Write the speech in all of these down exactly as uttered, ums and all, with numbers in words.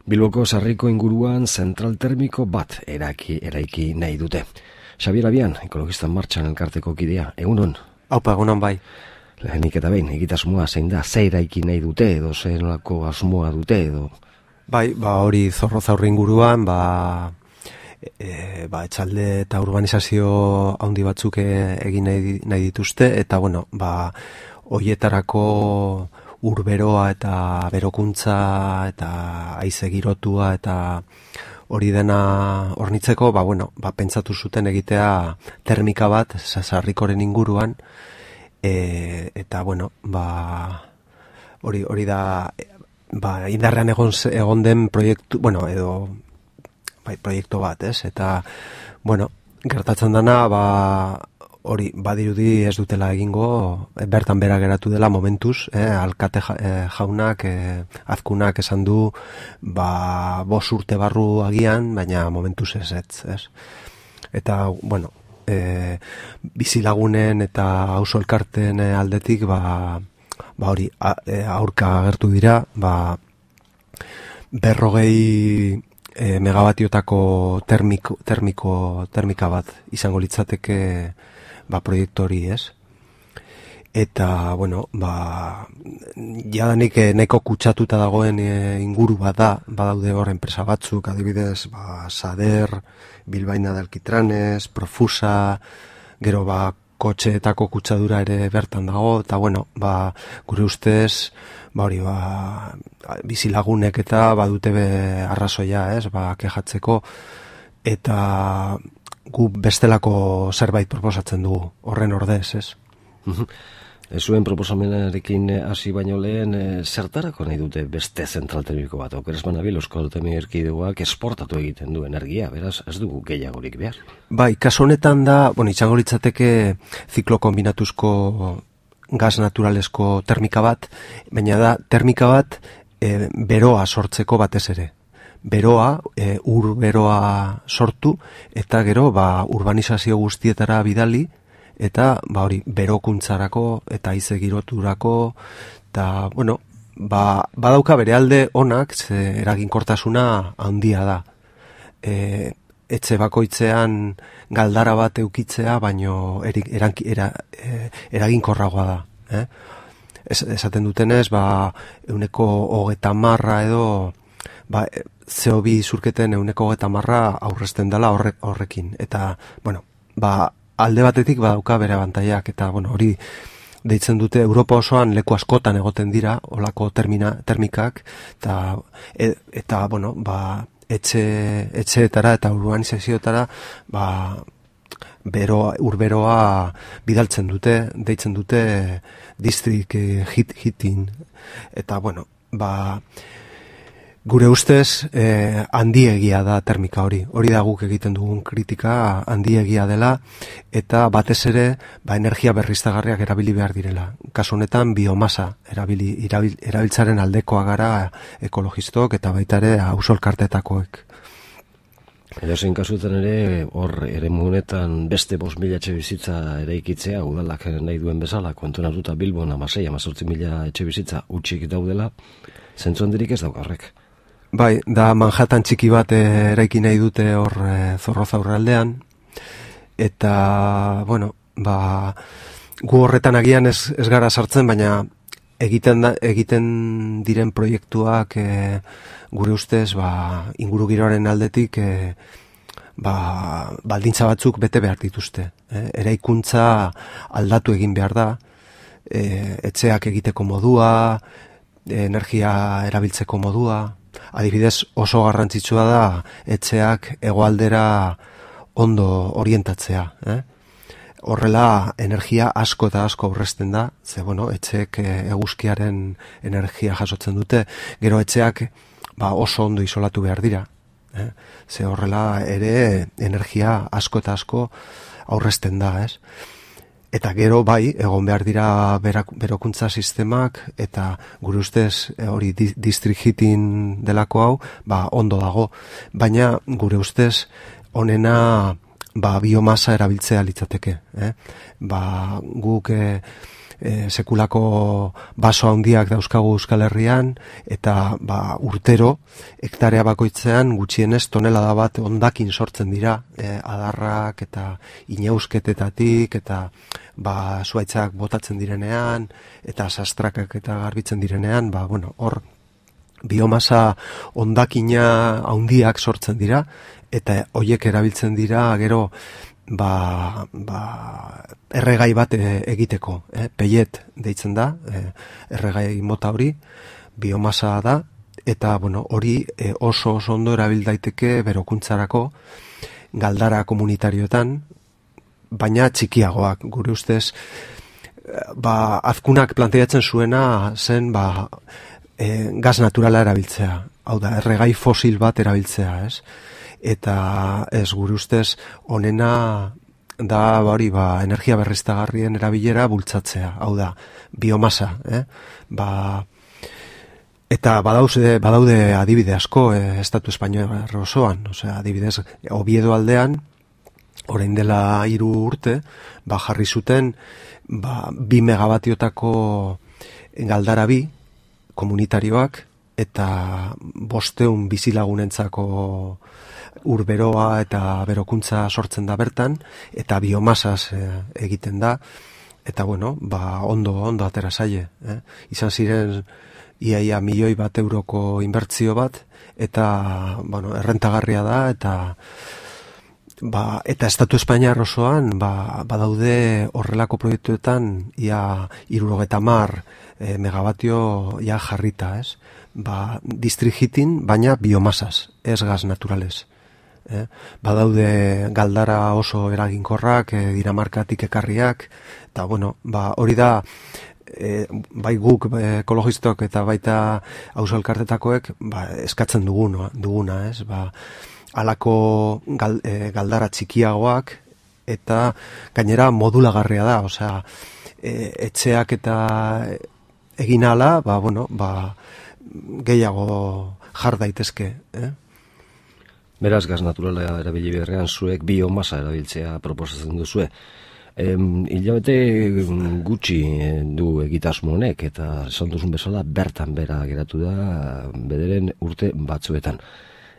Bilboko Sarriko inguruan zentral termiko bat eraki, eraiki nahi dute. Xabier Abian, Ekologistan Martxan elkarteko kidea, egunon? Haupa, egunon bai. Lehenik eta behin, egitasmoa zein da, ze eraiki nahi dute edo ze nolako asmoa dute edo? Bai, ba hori Zorrozaurre inguruan, ba, e, ba etxalde eta urbanizazio handi batzuk egin nahi, nahi dituzte, eta bueno, ba hoietarako urberoa eta berokuntza eta haize girotua eta hori dena hornitzeko, ba, bueno, ba, pentsatu zuten egitea termika bat Sarrikoren inguruan, e, eta bueno, ba, hori, hori da, ba, indarrean egon, egon den proiektu, bueno, edo bai, proiektu bat, ez? Eta, bueno, gertatzen dana, ba, hori, badirudi ez dutela egingo, bertan bera geratu dela momentuz, eh, alkate jaunak, eh, azkunak esan du, ba, bos urte barru agian, baina momentuz ez, ez, ez. Eta, bueno, eh, bizilagunen eta auzo elkarten aldetik, ba, ba hori, aurka agertu dira, ba, berrogei e, megabatiotako termiko, termiko, termika bat izango litzateke ba, proiektu hori, ez? Eta, bueno, ba, jadanik nahiko kutsatuta dagoen e, inguru bat da, badaude hor enpresa batzuk, adibidez, ba, Sader, Bilbaina de Alquitranes, Profusa, gero ba, kotxeetako kutsadura ere bertan dago, eta bueno, ba, gure ustez, ba hori, ba, bizilagunek eta badute be arrazoia, ez, ba, kejatzeko, eta gu bestelako zerbait proposatzen dugu, horren ordez, ez. Ez zuen proposamenarekin hasi baino lehen, e, zertarako nahi dute beste zentral termiko bat? Okeres banabil, Euskal Autonomia Erkidegoak esportatu egiten du energia, beraz, ez dugu gehiagorik behar. Bai, kasu honetan da, bueno, itxango litzateke ziklo kombinatuzko gaz naturalesko termika bat, baina da, termika bat e, beroa sortzeko batez ere. Beroa, e, ur beroa sortu, eta gero, ba, urbanizazio guztietara bidali, eta ba hori berokuntzarako eta haize giroturako, eta bueno, ba, badauka bere alde onak, ze eraginkortasuna handia da. E, etxe bakoitzean galdara bat eukitzea, baino erik, eranki, era, e, eraginkorragoa da. Eh? Es, esaten dutenez, ba, euneko hogeta marra edo, ba, C O bi zurketen euneko hogeta marra aurrezten dela horre, horrekin. Eta, bueno, ba, alde batetik badauka bere abantaiak, eta bueno, hori deitzen dute Europa osoan leku askotan egoten dira olako termina, termikak, eta, e, eta bueno, ba, etxe, etxeetara eta urbanizazioetara ba, beroa, urberoa bidaltzen dute, deitzen dute district hit, hitin, eta bueno, ba, gure ustez, eh, handiegia da termika hori. Hori da guk egiten dugun kritika, handiegia dela, eta batez ere, ba, energia berriztagarriak erabili behar direla. Kasu honetan, biomasa erabili, erabil, erabiltzaren aldekoa gara ekologistok eta baita ere auzo elkarteetakoek. Edozein kasutan ere, hor ere honetan beste bost mila etxe bizitza eraikitzea, udalak nahi duen bezala, kontuan hartuta Bilbon amasei, amazortzi mila etxe bizitza utxik daudela, zentzu handirik ez daukarrek. Bai, da Manhattan txiki bat eraiki nahi dute hor e, Zorrozaurre aldean, eta, bueno, ba, gu horretan agian ez, ez gara sartzen, baina egiten, da, egiten diren proiektuak e, gure ustez, ba, inguru giroaren aldetik, e, ba, baldintza batzuk bete behar dituzte. E, eraikuntza aldatu egin behar da, e, etxeak egiteko modua, e, energia erabiltzeko modua, adibidez oso garrantzitsua da etxeak hegoaldera ondo orientatzea. Eh? Horrela energia asko eta asko aurrezten da, ze bueno, etxeek eguzkiaren energia jasotzen dute, gero etxeak ba, oso ondo isolatu behar dira. Eh? Ze horrela ere energia asko eta asko aurrezten da, ez? Eta gero bai, egon behar dira berak, berokuntza sistemak, eta gure ustez hori di, district heating delako hau, ba ondo dago. Baina gure ustez onena ba, biomasa erabiltzea litzateke. Eh? Ba, guk eh, e, sekulako baso handiak dauzkagu Euskal Herrian, eta ba, urtero, hektarea bakoitzean gutxienez tonelada bat hondakin sortzen dira, e, adarrak eta inauzketetatik, eta ba, zuaitzak botatzen direnean, eta sastrakak eta garbitzen direnean, ba, bueno, hor biomasa hondakina handiak sortzen dira, eta hoiek erabiltzen dira gero ba, ba, erregai bat egiteko, eh? Pellet deitzen da, eh, erregai mota hori, biomasa da, eta bueno, hori eh, oso oso ondo erabil daiteke berokuntzarako galdara komunitarioetan, baina txikiagoak, gure ustez, ba, azkunak planteatzen zuena zen, ba, e, gas naturala erabiltzea, hau da, erregai fosil bat erabiltzea, ez? Eta ez, gure ustez, honena da, hori, ba, energia berriztagarrien erabilera bultzatzea, hau da, biomasa, eh? Ba, eta badaude, badaude adibide asko, eh, Estatu Espainiar osoan, osea, adibidez, Oviedo aldean, orain dela hiru urte, ba, jarri zuten, ba, bi megabatiotako galdara bi, komunitarioak, eta bosteun bizilagunentzako urberoa eta berokuntza sortzen da bertan, eta biomasaz e, egiten da, eta bueno, ba, ondo, ondo atera zaie. Eh? Izan ziren iaia milioi bat euroko inbertzio bat, eta bueno, errentagarria da, eta ba, eta Estatu Espainiar osoan ba, badaude horrelako proiektuetan ia hirurogeta hamar e, megabatio ja jarrita, ez? Ba, district heating, baina biomasaz, ez gas naturales. Eh? Badaude galdara oso eraginkorrak, e, Dinamarkatik ekarriak, eta bueno, ba, hori da, e, bai guk e, ekologistok eta baita auzo elkartetakoek ba, eskatzen duguna, duguna, ez? Ba, halako gal, e, galdara txikiagoak, eta gainera modulagarria da, osea, e, etxeak eta egin ala, ba, bueno, ba, gehiago jar daitezke, eh? Beraz, gas naturala erabili beharrean zuek biomasa erabiltzea proposatzen duzue. Em, hilabete gutxi du egitasmo honek, eta esan duzun bezala bertan bera geratu da bederen urte batzuetan.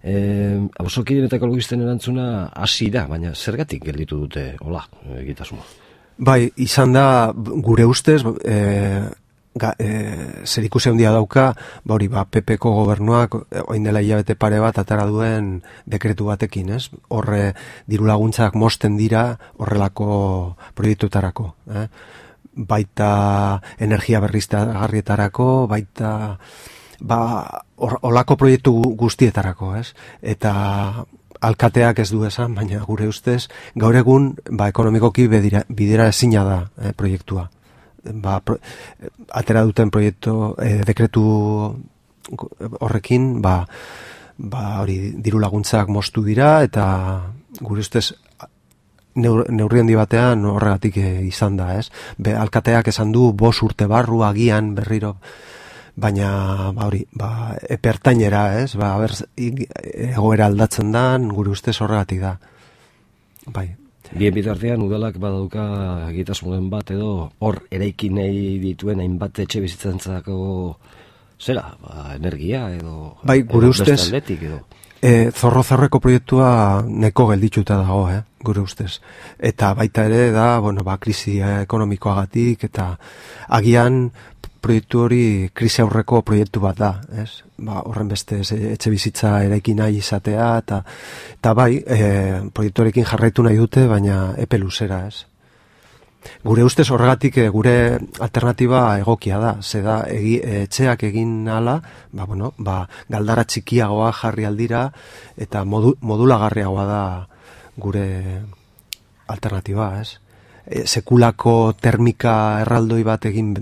Eh, Auzokideen eta ekologisten erantzuna hasi da, baina zergatik gelditu dute hola egitasmoa? Bai, izan da gure ustez, eh, ga, e, zer ikusi handia dauka, ba hori, ba, P P-ko gobernuak orain dela hilabete pare bat atara duen dekretu batekin, ez? Horre diru laguntzak mosten dira horrelako proiektuetarako, eh? Baita energia berriztagarrietarako, baita ba holako proiektu guztietarako, ez? Eta alkateak ez du esan, baina gure ustez gaur egun ba ekonomikoki bidera, bidera ezina da eh, proiektua. Ba, pro, atera duten proiektu eh, dekretu horrekin ba, ba hori diru laguntzak moztu dira, eta gure ustez neur, neurri handi batean horregatik eh, izan da, ez? Be, alkateak esan du bost urte barru agian berriro, baina ba hori, ba epertainera, ez? Ba ber egoera aldatzen dan, gure ustez horregatik da. Bai. Bien bitartean udalak badauka egitasmoen bat edo hor eraiki nahi dituen hainbat etxe bizitzantzako zera, ba, energia edo bai, gure ustez edo. E, zorro zarreko proiektua neko geldituta dago, eh, gure ustez. Eta baita ere da, bueno, ba, krisi ekonomikoagatik, eta agian proiektu hori krisi aurreko proiektu bat da, ez? Ba, horren beste etxe bizitza eraiki nahi izatea, eta, eta bai, e, proiektu horrekin jarraitu nahi dute, baina epe luzera, ez? Gure ustez horregatik gure alternatiba egokia da, ze da egi, etxeak egin ala, ba, bueno, ba, galdara txikiagoa jarri aldira, eta modu, modulagarriagoa da gure alternatiba, ez? E, sekulako termika erraldoi bat egin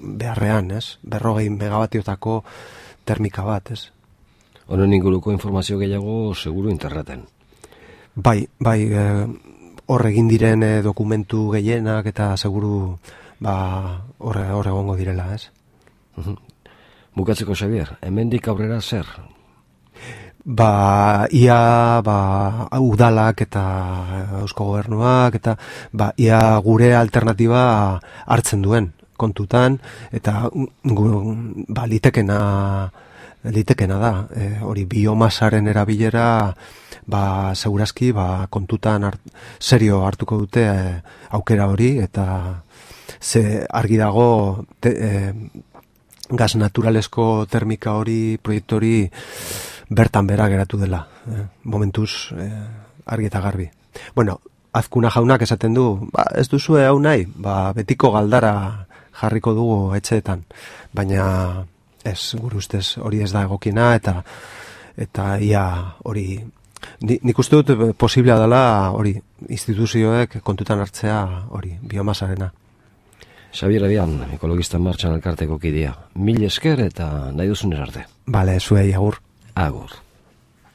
beharrean, ez? Berrogei megabatiotako termika bat, ez? Honen inguruko informazio gehiago seguru interneten. Bai, bai, e, hor egin diren e, dokumentu gehienak eta seguru ba hor hor egongo direla, ez? Bukatzeko, Xabier, hemendik aurrera zer? ba, ia ba, udalak eta Eusko Gobernuak eta ba, ia gure alternatiba hartzen duen kontutan, eta gu, ba, litekena litekena da, e, hori biomasaren erabilera ba, segurazki ba, kontutan hart, serio hartuko dute e, aukera hori, eta ze argi dago te, e, gas naturalesko termika hori, proiektu hori bertan bera geratu dela, eh, momentuz eh, argi eta garbi. Bueno, Azkuna jaunak esaten du, ba, ez duzue hau nahi, ba, betiko galdara jarriko dugu etxeetan, baina ez, gure ustez hori ez da egokiena, eta eta ia hori, ni, nik uste dut posiblea dela hori, instituzioek kontutan hartzea hori, biomasarena. Xabier Adian, ekologista martxan elkarteko kidea. Mil esker eta nahi duzun arte. Bale, zuei, agur. Agur.